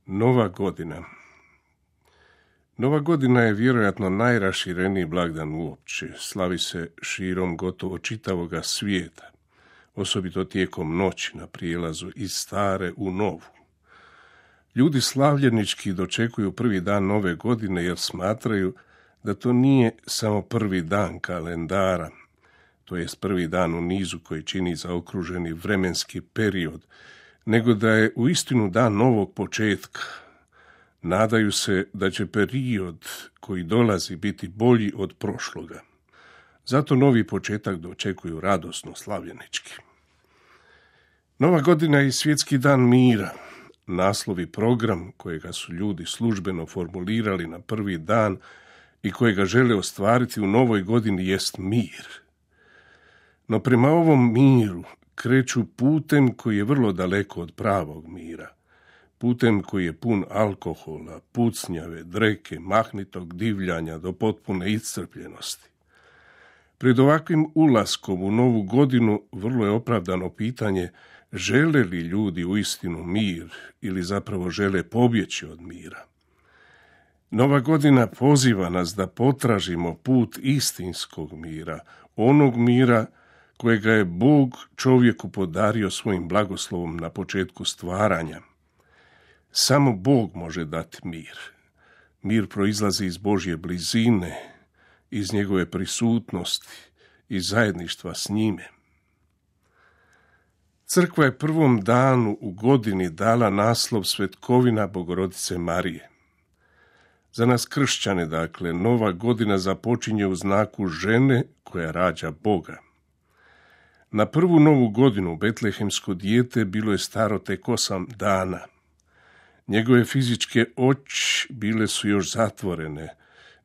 Nova godina. Nova godina je vjerojatno najrašireniji blagdan uopće. Slavi se širom gotovo čitavoga svijeta, osobito tijekom noći na prijelazu iz stare u novu. Ljudi slavljenički dočekuju prvi dan nove godine jer smatraju da to nije samo prvi dan kalendara, to jest prvi dan u nizu koji čini zaokruženi vremenski period, nego da je uistinu dan novog početka. Nadaju se da će period koji dolazi biti bolji od prošloga. Zato novi početak dočekuju radosno slavljenički. Nova godina je i svjetski dan mira. Naslov i program kojega su ljudi službeno formulirali na prvi dan i kojega žele ostvariti u novoj godini jest mir. No prema ovom miru kreću putem koji je vrlo daleko od pravog mira. Putem koji je pun alkohola, pucnjave, dreke, mahnitog divljanja do potpune iscrpljenosti. Pred ovakvim ulaskom u novu godinu vrlo je opravdano pitanje žele li ljudi uistinu mir ili zapravo žele pobjeći od mira. Nova godina poziva nas da potražimo put istinskog mira, onog mira kojega je Bog čovjeku podario svojim blagoslovom na početku stvaranja. Samo Bog može dati mir. Mir proizlazi iz Božje blizine, iz njegove prisutnosti i zajedništva s njime. Crkva je prvom danu u godini dala naslov Svetkovina Bogorodice Marije. Za nas kršćane, dakle, nova godina započinje u znaku žene koja rađa Boga. Na prvu novu godinu betlehemsko dijete bilo je staro tek 8 dana. Njegove fizičke oči bile su još zatvorene,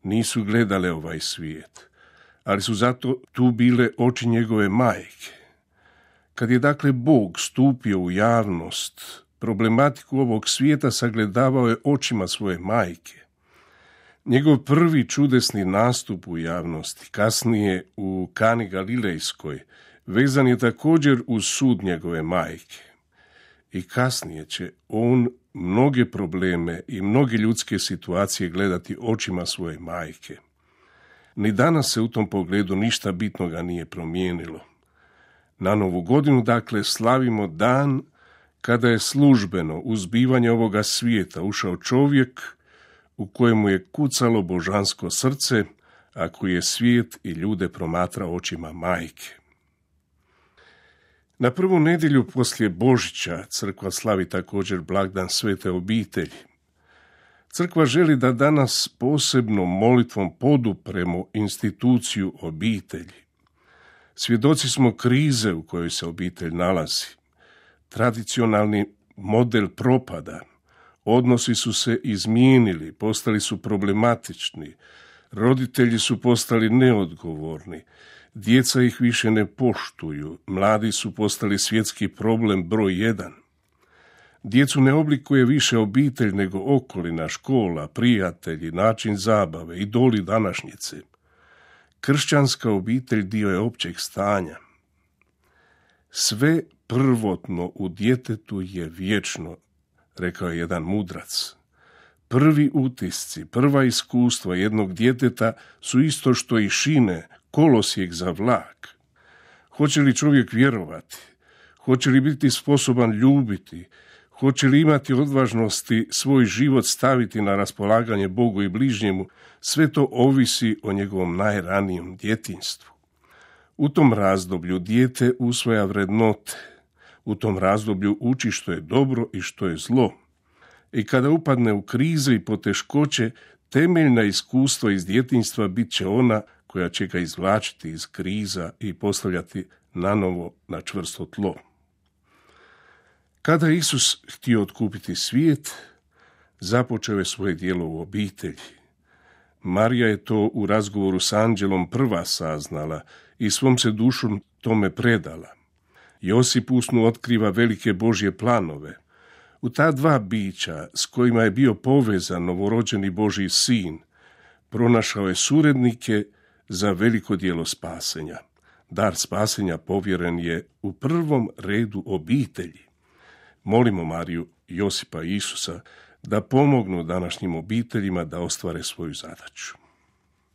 nisu gledale ovaj svijet, ali su zato tu bile oči njegove majke. Kad je dakle Bog stupio u javnost, problematiku ovog svijeta sagledavao je očima svoje majke. Njegov prvi čudesni nastup u javnosti, kasnije u Kani Galilejskoj, vezan je također uz sud njegove majke. I kasnije će on mnoge probleme i mnoge ljudske situacije gledati očima svoje majke. Ni danas se u tom pogledu ništa bitnoga nije promijenilo. Na novu godinu, dakle, slavimo dan kada je službeno u zbivanje ovoga svijeta ušao čovjek u kojemu je kucalo božansko srce, a koji je svijet i ljude promatrao očima majke. Na prvu nedjelju poslije Božića crkva slavi također blagdan Svete obitelji. Crkva želi da danas posebnom molitvom podupremo instituciju obitelji. Svjedoci smo krize u kojoj se obitelj nalazi. Tradicionalni model propada. Odnosi su se izmijenili, postali su problematični. Roditelji su postali neodgovorni. Djeca ih više ne poštuju. Mladi su postali svjetski problem broj 1. Djecu ne oblikuje više obitelj nego okolina, škola, prijatelji, način zabave, idoli današnjice. Kršćanska obitelj dio je općeg stanja. Sve prvotno u djetetu je vječno, rekao je jedan mudrac. Prvi utisci, prva iskustva jednog djeteta su isto što i šine, kolosijek za vlak. Hoće li čovjek vjerovati? Hoće li biti sposoban ljubiti? Hoće li imati odvažnosti svoj život staviti na raspolaganje Bogu i bližnjemu? Sve to ovisi o njegovom najranijem djetinjstvu. U tom razdoblju dijete usvaja vrednote. U tom razdoblju uči što je dobro i što je zlo. I kada upadne u krize i poteškoće, temeljna iskustva iz djetinjstva bit će ona koja će ga izvlačiti iz kriza i postavljati nanovo na čvrsto tlo. Kada je Isus htio otkupiti svijet, započeo je svoje djelo u obitelji. Marija je to u razgovoru s anđelom prva saznala i svom se dušom tome predala. Josip usnu otkriva velike Božje planove. U ta dva bića s kojima je bio povezan novorođeni Božji sin, pronašao je surednike za veliko djelo spasenja. Dar spasenja povjeren je u prvom redu obitelji. Molimo Mariju, Josipa i Isusa da pomognu današnjim obiteljima da ostvare svoju zadaću.